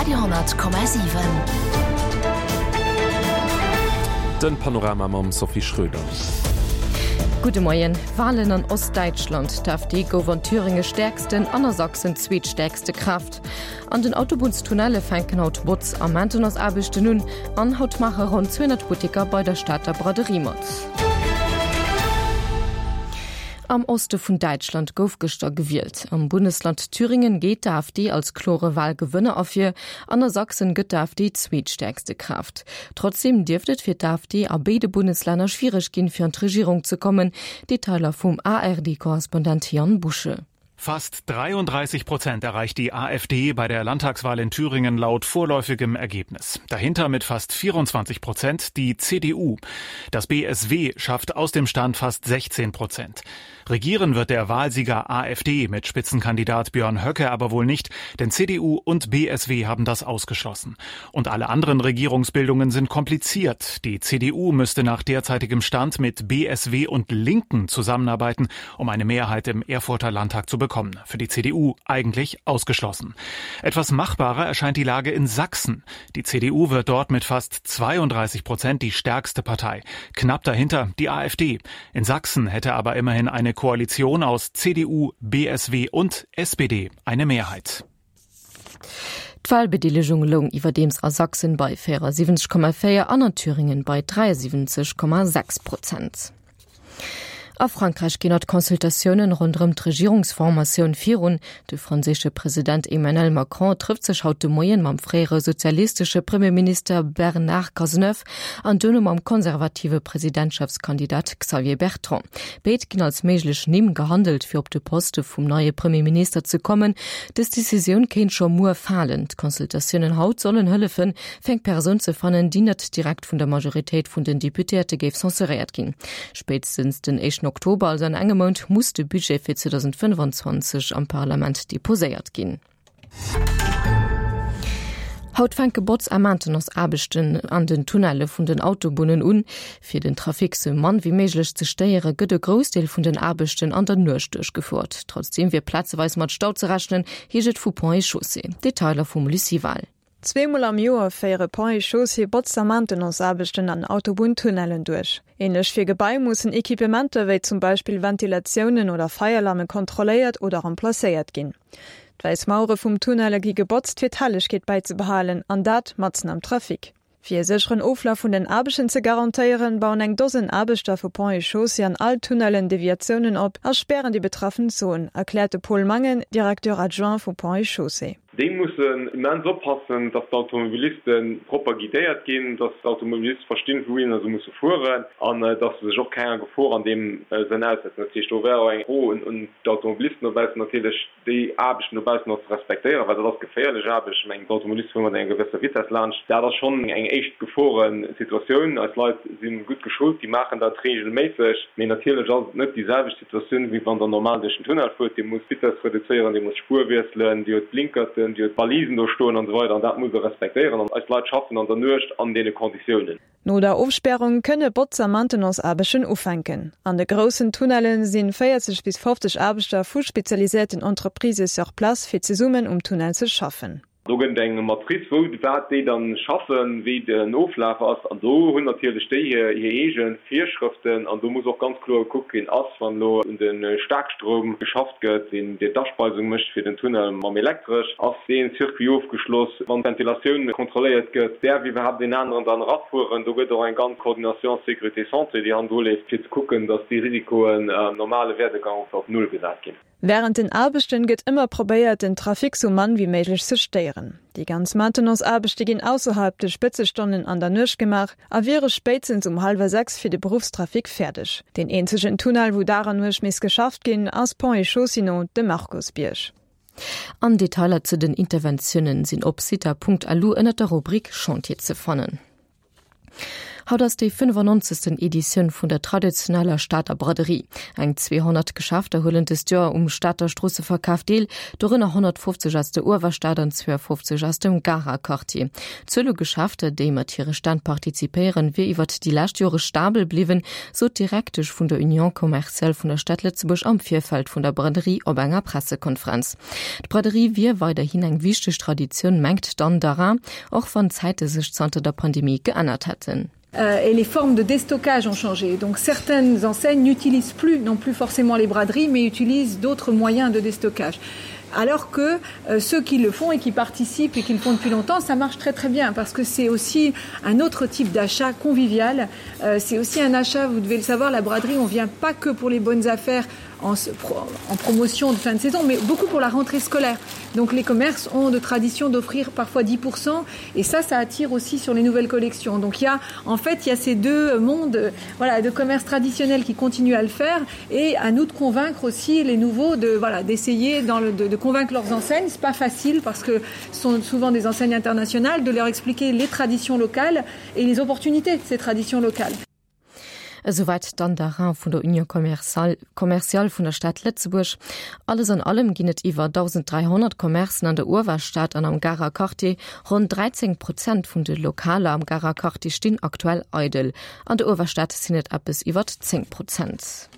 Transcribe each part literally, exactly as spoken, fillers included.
Radio honnert Komma siwen. Den Panorama mam Sophie Schröder. Gudde Moien. Walen an Ostdäitschland, D'AfD gouf an Thüringe stäerksten an a Sachsen zweetstäerkste Kraaft. An den Autobunnstunnelle fänken haut Botz a Maintenanceaarbechten un an haut maache ronn zweehonnert Butteker bei der Stater Braderie mat. Am Oste vun Däitschland gouf gëschter gewielt. Am Bundesland Thüringen geet d'AfD als klore Walgewënner ervir, an a Sachsen gëtt d'AfD zweetstäerkste Kraaft. Trotzdeem dierft et fir d'AfD a béide Bundeslänner schwiereg ginn, fir an d'Regierung ze kommen. Detailer vum ARD-Korrespondent Jan Busche. Fast dreiunddreißig Prozent erreicht die AfD bei der Landtagswahl in Thüringen laut vorläufigem Ergebnis. Dahinter mit fast vierundzwanzig Prozent die C D U. Das B S W schafft aus dem Stand fast sechzehn Prozent. Regieren wird der Wahlsieger A F D mit Spitzenkandidat Björn Höcke aber wohl nicht, denn C D U und B S W haben das ausgeschlossen. Und alle anderen Regierungsbildungen sind kompliziert. Die C D U müsste nach derzeitigem Stand mit B S W und Linken zusammenarbeiten, um eine Mehrheit im Erfurter Landtag zu bekommen. Für die C D U eigentlich ausgeschlossen. Etwas machbarer erscheint die Lage in Sachsen. Die C D U wird dort mit fast zweiunddreißig Prozent die stärkste Partei. Knapp dahinter die A F D. In Sachsen hätte aber immerhin eine Koalition aus C D U, B S W und S P D eine Mehrheit. D'Wahlbedeelegung loung iwwerdeems a Sachsen bei vierundsiebzig Komma vier an an Thüringen bei dreiundsiebzig Komma sechs Prozent. A Frankreich ginn haut Consultatiounen ronderëm d'Regierungsformatioun virun. De franséische President Emmanuel Macron trifft sech haut de Moien mam fréiere sozialistesche Premierminister Bernard Cazeneuve an duerno mam konservative Presidentschaftskandidat Xavier Bertrand. Béid ginn als méiglech Nimm gehandelt, fir op de Poste vum neie Premierminister ze kommen. Dës Decisioun kéint scho muer falen. D'Consultatiounen haut sollen hëllefen, fir eng Persoun ze fannen, déi net direkt vun der Majoritéit vun den Deputéierte géif censuréiert ginn. Spéitstens den éischten Oktober, also an engem Mount, muss de Budget fir zweitausendfënfundzwanzeg am Parlament deposéiert ginn. Haut fänke Botz a Maintenanceaarbechten an den Tunnelle vun den Autobunnen un. Fir den Trafic sou mann wéi méiglech ze stéiere, gëtt e Groussdeel vun den Aarbechten an der Nuecht duerchgefuert. Trotzdem wier plazeweis mat Stau ze rechnen, heescht et vu Ponts et Chaussées. Detailer vum Lucie Wahl. Zweemol am Joer féiere Ponts et Chaussées Botz a Maintenanceaarbechten an Autobunntunnellen duerch. Ähnlech fir Gebai mussen Equipementer wéi zum Beispill Ventilatiounen oder Feierlamme kontrolléiert oder remplacéiert ginn. D'wäiss Mauere vum Tunnelle gi gebotzt, fir d'Hellegkeet bäizebehalen, an dat matzen am Trafic. Fir e sécheren Oflaf vun den Aarbechten ze garantéieren, bauen eng Dosen Aarbechter vu Ponts et Chaussées an all Tunnellen Deviatiounen op a spären déi betraffen Zon, erkläert de Paul Mangen, Directeur adjoint vu Ponts et Chaussées. Déi mussen immens oppassen, dass d'Automobilisten propper guidéiert ginn, dass d'Automobilisten verstinn, wouhinner se musse fueren an dass se sech och kenger Gefor an deem Sënn aussetzen. Dat heescht, do wär och eng Fro un, un d'Automobilisten dobaussen natierlech, déi Aarbechten dobaussen och ze respektéieren, well dat ass geféierlech Aarbecht. Ich mengen, d'Automobilisten fueren mat enger gewësser Vitesse laanscht. Dat ass schonn eng éischt Geforensituatioun. Eis Leit sinn gutt geschult, déi maachen dat regelméisseg. Mee natierlech ass et net déi selwecht Situatioun, wéi wann der normal duerch den Tunnel fuert. Dir musst Vitesse reduzéieren, dir musst Spuer wiesselen, dir hutt Blinkerten, dir hutt Balisen do stoen an so weiter. An dat muss der respektéieren. An eis Leit schaffen an der Nuecht an deene Konditiounen. No der Ofsperrung kënne Botz- a Maintenanceaarbechten ufänken. An de groussen Tunnellen sinn vierzig bis fünfzig Aarbechter vu spezialisierten Entreprises sur place fir zesummen um Tunnel ze schaffen. Do gëtt eng Matrice, wou wat déi dann schaffen, wéi den Oflaf ass. An do hunn natierlech déi hir, hir eege Virschrëften. An do muss och ganz kloer gekuckt ginn, ass, wann lo un den Starkstrom geschafft gëtt, deen déi d'Aspeisung mécht fir den Tunnel mam Elektresch, ass deen Circuit ofgeschloss, wann d'Ventilatioun kontrolléiert gëtt, därf iwwerhaupt den anderen dann rafueren. Do gëtt och eng ganz Koordination Sécurité Santé, déi hand leeft, fir ze kucken, dass déi Risikoen am normale Werdegang op null gesat ginn. Während den Aarbechten gëtt ëmmer probéiert, den Trafic sou mann wéi méiglech ze stéieren. Déi ganz Maintenanceaarbechte ginn ausserhalb de Spëtzestonnen an der Nuecht gemaach a wiere spéitstens um halwer sechs fir de Berufstrafic fäerdeg. Den eenzegen Tunnel, wou Dag an Nuecht misst geschafft ginn, ass Ponts et Chaussées no de Markusbierg. An Detailer zu den Interventiounen sinn op cita punkt lu ënner der Rubrik Chantier ze fannen. Haut ass déi fënnefannonzegsten Editioun vun der traditioneller Stater Braderie. Eng zweehonnert Geschäfter huelen dëst Joer um Stater Stroosseverkaf deel, dorënner honnertfofzeg aus der Uewerstad an zweeëfofzeg aus dem Garer Quartier. D'Zuel u Geschäfter, déi mat hire Stänn partizipéieren, wier iwwert déi lescht Jore stabel bliwwen, sot d'Direktesch vun der Union commerciale vun der Stad Lëtzebuerg am Virfeld vun der Braderie op enger Pressekonferenz. D'Braderie wier weiderhin eng wichteg Traditioun, mengt d'Anne Darin, och wann d'Zäite sech zanter der Pandemie geännert hätten. Euh, et les formes de déstockage ont changé. Donc certaines enseignes n'utilisent plus non plus forcément les braderies, mais utilisent d'autres moyens de déstockage. Alors que euh, ceux qui le font et qui participent et qui le font depuis longtemps, ça marche très très bien parce que c'est aussi un autre type d'achat convivial. Euh, c'est aussi un achat, vous devez le savoir, la braderie, on vient pas que pour les bonnes affaires en, en promotion de fin de saison, mais beaucoup pour la rentrée scolaire. Donc les commerces ont de tradition d'offrir parfois dix pour cent et ça, ça attire aussi sur les nouvelles collections. Donc il y a, en fait, il y a ces deux mondes, voilà, de commerce traditionnel qui continuent à le faire et à nous de convaincre aussi les nouveaux de, voilà, d'essayer dans le, de, de convaincre leurs enseignes. C'est pas facile parce que ce sont souvent des enseignes internationales, de leur expliquer les traditions locales et les opportunités de ces traditions locales. Esouwäit d'Anne Darin vun der Union Commerciale vun der Stad Lëtzebuerg. Alles an allem ginn et iwwer dausend dräihonnert Commercen an der Uewerstad an am Garer Quartier. Ronn dräizéng Prozent vun de Lokaler am Garer Quartier stinn aktuell eidel. An der Uewerstad sinn et eppes iwwer zéng Prozent.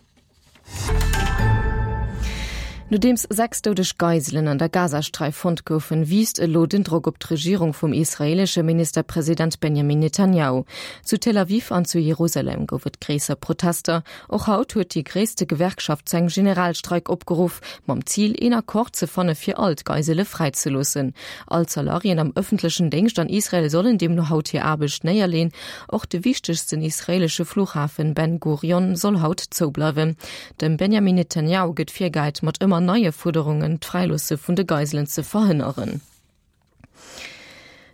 Nodeems sechs doudeg Geiselen an der Gazasträif fonnt goufen, wiisst elo den Drock op d'Regierung vum israeelesche Ministerpresident Benjamin Netanjahu. Zu Tel Aviv an zu Jerusalem gouf et gréisser Protester. Och haut huet déi gréisste Gewerkschaft zu engem Generalstreik opgeruff, mam Zil, een Accord ze fanne fir all d'Geisele fräizeloossen. All d'Salariéen am ëffentlechen Déngscht an Israel sollen deemno haut hir Aarbecht néierleeën. Och de wichtegsten israeelesche Fluchhafen Ben Gurion soll haut zoubleiwen. Dem Benjamin Netanjahu gëtt virgehäit, mat ëmmer neie Fuerderungen d'Fräiloosse vun de Geiselen ze verhënneren.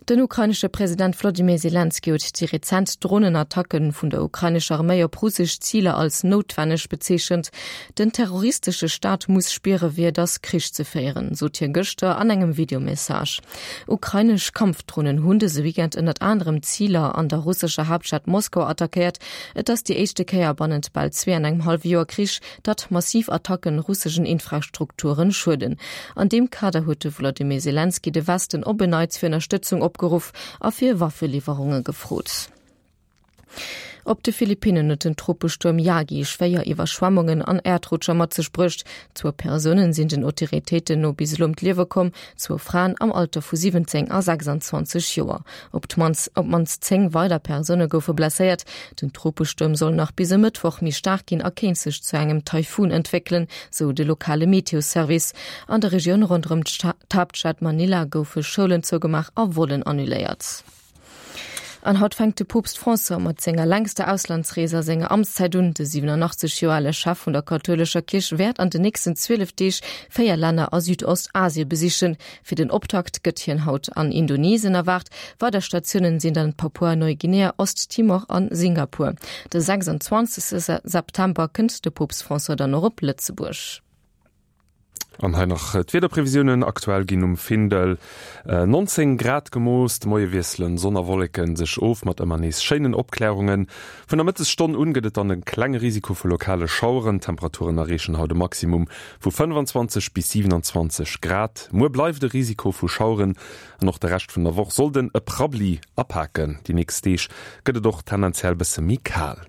Den ukrainesche President Wladimir Selenskyj huet déi rezent Dronenattacke vun der ukrainescher Arméi op russesch Ziler als noutwenneg bezeechent. Den terroristesche Staat muss spiere wéi et ass, Krich ze féieren, sot hie gëschter an engem Videomessage. Ukrainesch Kampfdronen hunn dëse Weekend ënnert anerem Ziler an der russescher Haaptstad Moskau attackéiert. Et ass déi éischte Kéier bannent bal zwee an engem hallwe Joer Krich, datt massiv Attacken russeschen Infrastrukturen schueden. An deem Kader huet de Wladimir Selenskyj de Westen op en Neits fir Ënnerstëtzung opgeruff a fir Waffeliwwerunge gefrot. Op de Philippinnen huet den Tropestuerm Yagi schwéier Iwwerschwemmungen an Äerdrutscher mat sech bruecht. Zwou Persounen sinn den Autoritéiten no bis elo ëm d'Liewe komm, zwou Fraen am Alter vu siwwenzéng a sechsanzwanzeg Joer. Op d'mannst op d'mannst zéng weider Persoune goufe blesséiert. Den Tropestuerm soll nach bis e Mëttwoch méi staark ginn a kéint sech zu engem Taifun entwéckelen, sou de lokale Meteosservice. An der Regioun ronderëm d'Haaptstad Manila goufe Schoulen zougemaach a Vollen annuléiert. An haut fänkt de Poopst François mat senger längster Auslandsrees a senger Amtszäit un. De siwenanachtzeg Joer ale Chef vun der kathoulescher Kierch wäert an den nächsten zwielef Deeg véier Länner a Südostasie besichen. Fir den Optakt gëtt hien haut an Indonesien erwaart. Weider Statiounen sinn dann Papua-Neuguinea, Osttimor an Singapur. De sechsanzwanzegste September kënnt de Poopst François dann och op Lëtzebuerg. An hei nach d'Wiederprevisiounen, Aktuell ginn um Findel neunzéng Grad gemooss. De Moie wiesselen Sonn a Wolleken sech of mat ëmmer nees schéinen Opklärungen. Vun der Mëttesstonn un gëtt et dann e klenge Risiko vu lokale Schaueren. D'Temperaturen erreechen haut e Maximum vu fënnfanzwanzeg bis siwenanzwanzeg Grad. Muer bleift e Risiko vu Schaueren an och de Rescht vun der Woch sollt en e Prabbeli apaken. Déi nächst Deeg gëtt et och tendenziell bësse méi kal.